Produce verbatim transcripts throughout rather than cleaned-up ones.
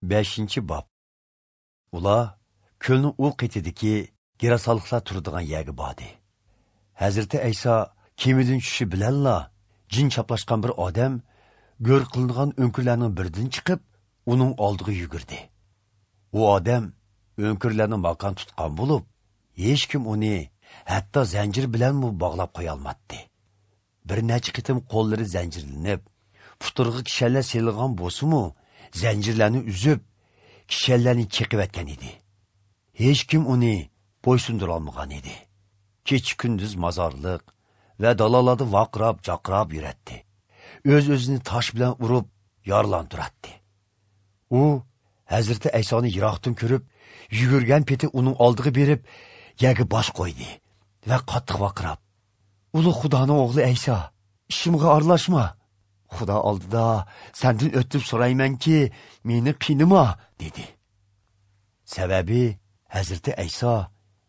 Beshinchi bob. Ular ko'lning u qetidagi gerasalıqlar turadigan yerga bordi. Hazrati Ayso kemidan tushishi bilanla jin chaplashgan bir odam go'r qilingan o'nkirlarning biridan chiqib, uning oldiga yugurdi. U odam o'nkirlarni makon tutgan bo'lib, hech kim uni hatto zanjir bilanmi bog'lab qo'ya olmadi. Bir necha qitim qo'llari zanjirlanib, puturg'i kishanlar selingan bo'lsa-mu, zanjirlarni uzib, kishanlarni cheqib etgan edi. Hech kim uni bo'ysundira olmagan edi. Kecha kunduz mozorliq va dalalarda vaqirab, jaqirab yuratdi. O'z-o'zini tosh bilan urib, yorlantiradi. U Hazrati Aysoni yiroqdan ko'rib, yugurgan peti uning oldiga berib, yerga bosh qo'ydi va qattiq vaqirab: "Ulug' Xudoning o'g'li Ayso, ishimga aralashma. Xudo oldida sendan o'tib so'raymanki, meni qiynama" dedi. Sababi Hazrati Ayso: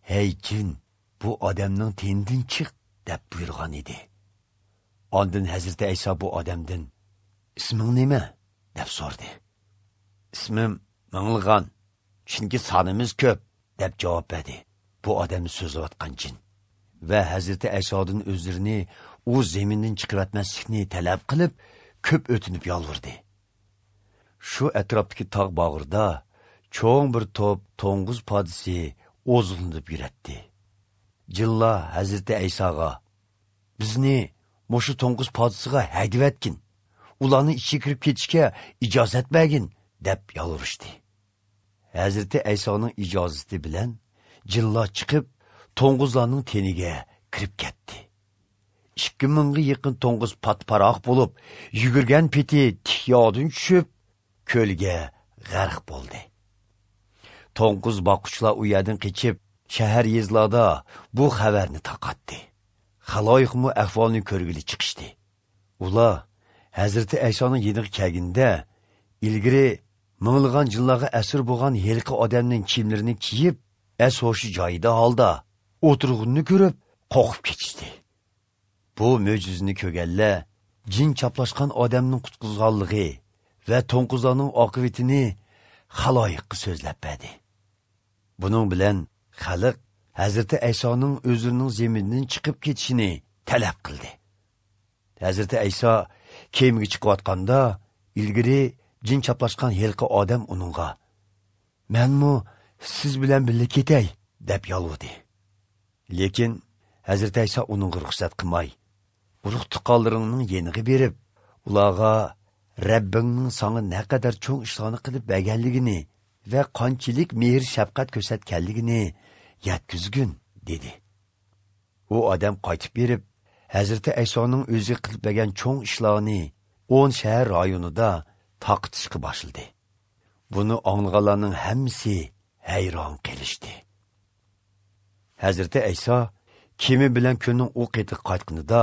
"Hey jin, bu odamning tenidan chiq" deb buyurgan edi. Ondan Hazrati Ayso bu odamdan: "Isming nima?" deb so'radi. "Ismim Mingilg'an, chunki sonimiz ko'p" deb javob berdi bu odamni so'zlayotgan jin. Va Hazrati Aysodan o'zlarini u zamindan chiqarmaslikni talab qilib, ko'p o'tinib yolvordi. Shu atrofdagi tog' bag'rida cho'ng bir to'p to'ng'iz podisi oziqlanib yuratdi. Jinlar Hazrati Aysoga: "Bizni mushu to'ng'iz podisiga haydavatgin, ularni ichiga kirib ketishga ijozat bergin" deb yolvorishdi. Hazrati Aysoning ijozati bilan jinlar chiqib, to'ng'izlarning teniga kirib ketdi. ikki mingga yaqin to'ng'iz patparoq bo'lib, yugurgan peti tik yodin tushib, ko'lga g'arq bo'ldi. To'ng'iz boquvchilar u yerdan qechib, shahar yezlarda bu xabarni tarqatdi. Xaloyiqmi ahvolni ko'rgili chiqishdi. Ular Hazrati Aysoning yeniga kelganda, ilgari minglagan yillarga asir bo'lgan yelqi odamning kiyimlarini kiyib, es hoshi joyida holda o'tirg'unni ko'rib, qo'rqib ketishdi. Bu mo'jizani ko'rganlar jin chaplashgan odamning qutqizganligi va to'ng'izlarning oqibatini xaloyiqqa so'zlab berdi. Buning bilan xalq Hazrati Aysoning o'zining zeminidan chiqib ketishini talab qildi. Hazrati Ayso kemaga chiqayotganda, ilgari jin chaplashgan yelqi odam uningga: "Menmu siz bilan birga ketay" deb yolvordi. Lekin Hazrati Ayso uningga ruxsat qilmay, urug' tuqqanlaringning yeniga berib, ularga Rabbingning sanga naqadar cho'ng ishlarni qilib berganligini va qanchalik mehr shafqat ko'rsatganligini yetkazgin dedi. U odam qaytib berib, Hazrati Aysoning o'zi qilib bergan cho'ng ishlarni o'n shahar rayonida taqitishga boshladi. Buni anglaganlarning hammasi hayron qilishdi. Hazrati Ayso kemi bilan ko'lning u qetiga qaytganida,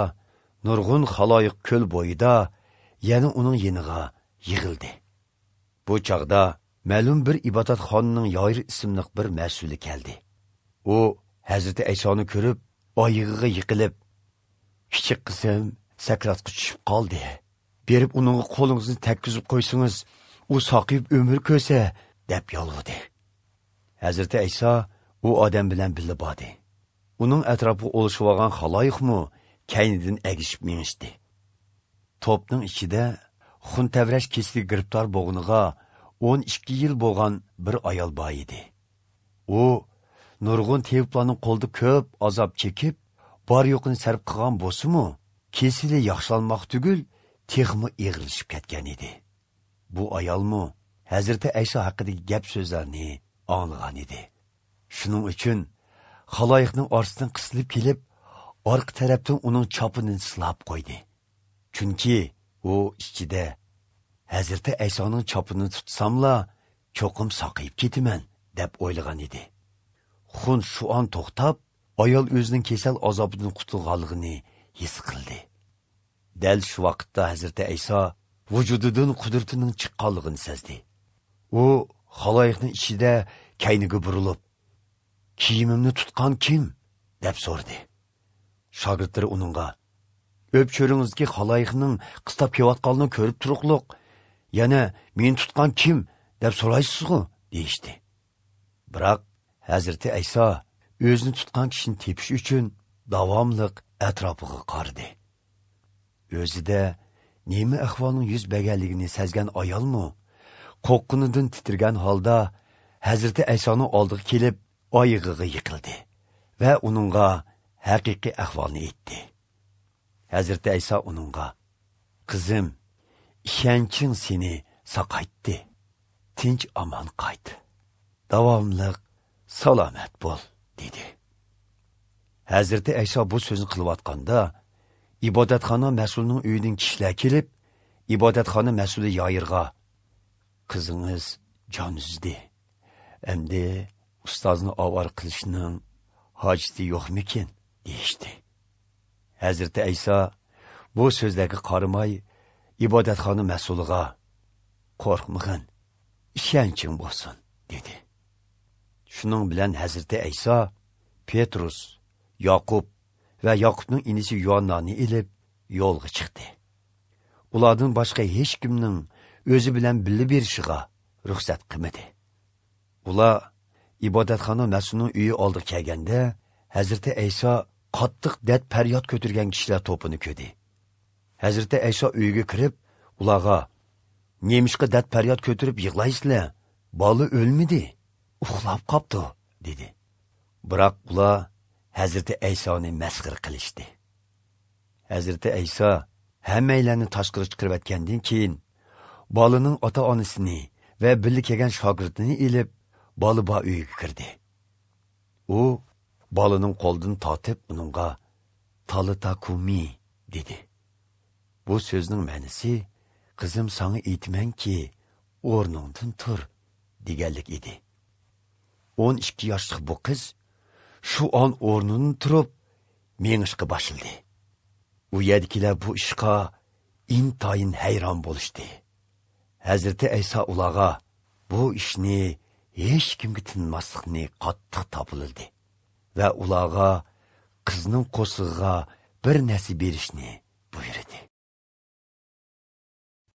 nurg'un xaloyiq ko'l bo'yida yana uning yeniga yig'ildi. Bu chog'da ma'lum bir ibodatxonaning Yoyir ismli bir mas'uli keldi. U Hazrati Aysoni ko'rib, oyog'iga yiqilib: "Kichik qizim sakratga tushib qoldi. Berib uningga qo'lingizni tekkizib qo'ysangiz, u saqib umr ko'rsa" deb yolvordi. Hazrati Ayso u odam bilan birga bordi. Uning atrofiga o'lishib olgan xaloyiqmi kaynidan agishib minishdi. To'pning ichida xun tavrash kesiliga giribtor bo'g'iniga o'n ikki yil bo'lgan bir ayol bor edi. U nurg'un teviblarning qo'lida ko'p azob chekib, bor yo'qini sarf qilgan bo'lsa-mu, kesili yaxshilanmoq tugul, texmi eg'ilishib ketgan edi. Bu ayolmu Hazrati Ayso haqidagi gap so'zlarni anglagan edi. Shuning uchun xaloyiqning orasidan qisilib kelib, orqa tarafdan uning chopini silab qo'ydi. Chunki u ichida: "Hazrati Aysoning chopini tutsamla, cho'qim saqayib ketaman" deb o'ylagan edi. Xun shu on to'xtab, ayol o'zining kasal azobidan qutulganligini his qildi. Dal shu vaqtda Hazrati Ayso vujudidan qudratining chiqqanligini sezdi. U xaloyiqning ichida kayniga burilib, "Kiyimimni tutgan kim?" deb so'radi. Shogirdlari uningga: "O'p cho'ringizdagi xaloyiqning qistab kelayotganini ko'rib turuqliq, yana meni tutgan kim?" Deb so'raysizku, deyishdi. Biroq Hazrati Ayso o'zini tutgan kishini tepish uchun davomliq atrofiga qaradi. O'zida nima ahvolning yuz berganligini sezgan ayolmi qo'rqqunidan titragan holda Hazrati Aysoning oldiga kelib oyog'iga yiqildi va uningga haqiqiy ahvolni aytdi. Hazrati Ayso uningga: "Qizim, ishonching seni saqaytdi. Tinch omon qayt. Davomliq salomat bo'l", dedi. Hazrati Ayso bu so'zni qilayotganda ibodatxona mas'ulining uyidan kishilar kelib, ibodatxona mas'uli Yoyirga: "Qizingiz jon uzdi. Endi ustozni ovora qilishning hojati yo'qmikin?" deyishdi. Hazrati Ayso bu so'zlarga qaramay ibodatxona mas'uliga: "Qo'rqmag'in, ishonching bo'lsin", dedi. Shuning bilan Hazrati Ayso Petrus, Yoqub va Yoqubning inisi Yo'nnani ilib yo'lga chiqdi. Ulardan boshqa hech kimning o'zi bilan birga berishiga ruxsat qilmadi. Ular ibodatxona mas'ulining uyi oldiga kelganda Hazrati Ayso qattiq dad faryod ko'targan kishilar to'pini ko'rdi. Hazrati Ayso uyga kirib, ularga: "Nemishqa dad faryod ko'tarib yig'laysizlar? Bola o'lmadi, uxlab qopti", dedi. Biroq ular Hazrati Aysoni masxara qilishdi. Hazrati Ayso hammaylarni tashqari chiqarib etgandan keyin bolaning ota-onasini va birga kelgan shogirdini ilib bola bor uyga kirdi. U bolaning qo'lidan tortib uningga "Talita kumi" dedi. Bu so'zning ma'nosi "Qizim, sana aytmanki, o'rningdan tur" deganlik edi. o'n ikki yoshli bu qiz shu on o'rnidan turib mengishga boshladi. U yerdagilar bu ishga intayin hayron bo'lishdi. Hazrati Ayso ularga bu ishni hech kimga tinmaslikni qattiq topildi va ularga qizning qo'sig'iga bir narsa berishni